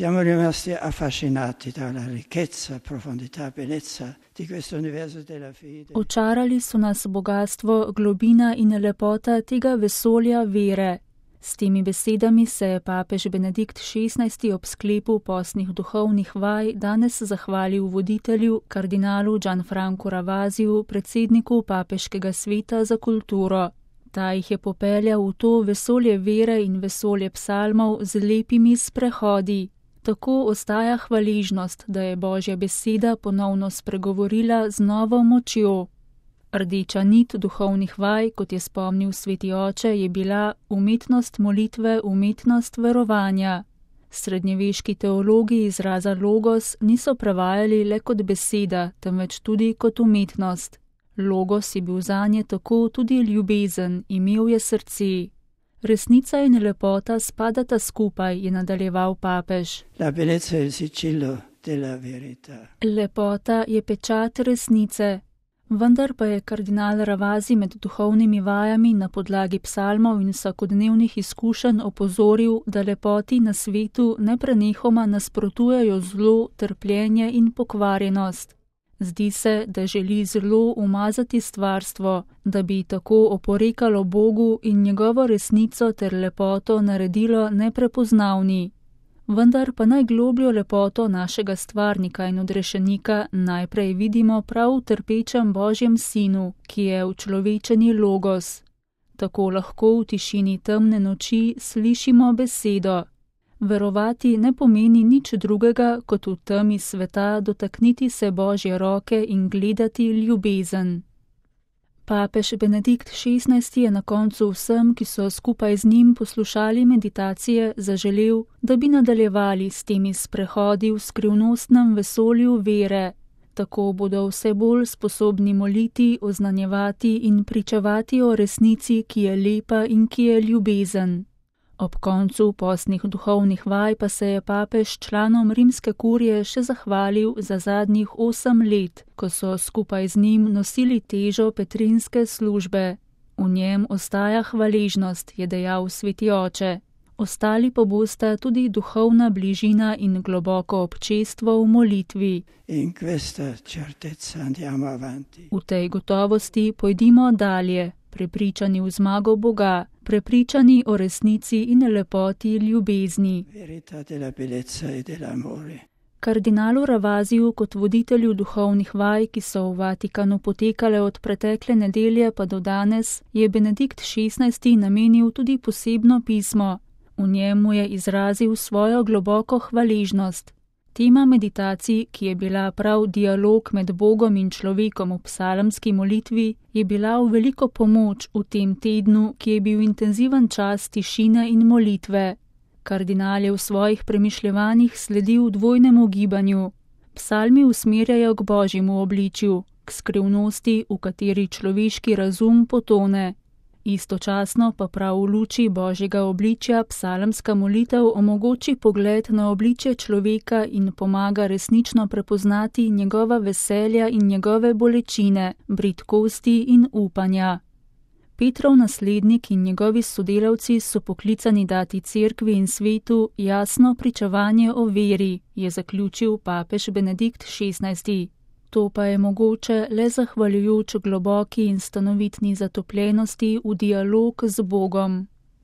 Siamo rimasti affascinati dalla ricchezza, profondità, bellezza di questo universo della fede. Očarali so nas bogatstvo, globina in lepota tega vesolja vere. S temi besedami se je papež Benedikt XVI. Ob sklepu postnih duhovnih vaj danes zahvalil voditelju, kardinalu Gianfrancu Ravasiju, predsedniku Papeškega sveta za kulturo. Ta jih je popeljal v to vesolje vere in vesolje psalmov z lepimi sprehodi. Tako ostaja hvaležnost, da je Božja beseda ponovno spregovorila z novo močjo. Rdeča nit duhovnih vaj, kot je spomnil sveti oče, je bila umetnost molitve, umetnost verovanja. Srednjeveški teologi izraza logos niso prevajali le kot beseda, temveč tudi kot umetnost. Logos je bil zanje tako tudi ljubezen, imel je srce. Resnica in lepota spadata skupaj, je nadaljeval papež. La bellezza è il sigillo della verità. Lepota je pečat resnice. Vendar pa je kardinal Ravasi med duhovnimi vajami na podlagi psalmov in vsakodnevnih izkušenj opozoril, da lepoti na svetu neprenehoma nasprotujejo zlo, trpljenje in pokvarjenost. Zdi se, da želi zlo umazati stvarstvo, da bi tako oporekalo Bogu in njegovo resnico ter lepoto naredilo neprepoznavni. Vendar pa najglobljo lepoto našega stvarnika in odrešenika najprej vidimo prav v trpečem Božjem sinu, ki je učlovečeni logos. Tako lahko v tišini temne noči slišimo besedo. Verovati ne pomeni nič drugega, kot v temi sveta dotakniti se Božje roke in gledati ljubezen. Papež Benedikt XVI. Je na koncu vsem, ki so skupaj z njim poslušali meditacije, zaželel, da bi nadaljevali s temi sprehodi v skrivnostnem vesolju vere. Tako bodo vse bolj sposobni moliti, oznanjevati in pričevati o resnici, ki je lepa in ki je ljubezen. Ob koncu postnih duhovnih vaj pa se je papež članom rimske kurije še zahvalil za zadnjih 8 let, ko so skupaj z njim nosili težo petrinske službe. V njem ostaja hvaležnost, je dejal sveti oče. Ostali pa bosta tudi duhovna bližina in globoko občestvo v molitvi. In questa certezza andiamo avanti. V tej gotovosti pojdimo dalje, prepričani v zmago Boga, prepričani o resnici in lepoti ljubezni. Verità della bellezza e dell'amore. Kardinalu Ravasiju kot voditelju duhovnih vaj, ki so v Vatikanu potekale od pretekle nedelje pa do danes, je Benedikt XVI. Namenil tudi posebno pismo. V njemu je izrazil svojo globoko hvaležnost. Tema meditacij, ki je bila prav dialog med Bogom in človekom v psalmski molitvi, je bila v veliko pomoč v tem tednu, ki je bil intenziven čas tišine in molitve. Kardinal je v svojih premišljevanjih sledil dvojnemu gibanju. Psalmi usmerjajo k Božjemu obličju, k skrivnosti, v kateri človeški razum potone. Istočasno pa prav v luči Božjega obličja psalmska molitev omogoči pogled na obličje človeka in pomaga resnično prepoznati njegova veselja in njegove bolečine, bridkosti in upanja. Petrov naslednik in njegovi sodelavci so poklicani dati cerkvi in svetu jasno pričevanje o veri, je zaključil papež Benedikt XVI. To pa je mogoče le zahvaljujoč globoki in stanovitni zatopljenosti v dialog z Bogom.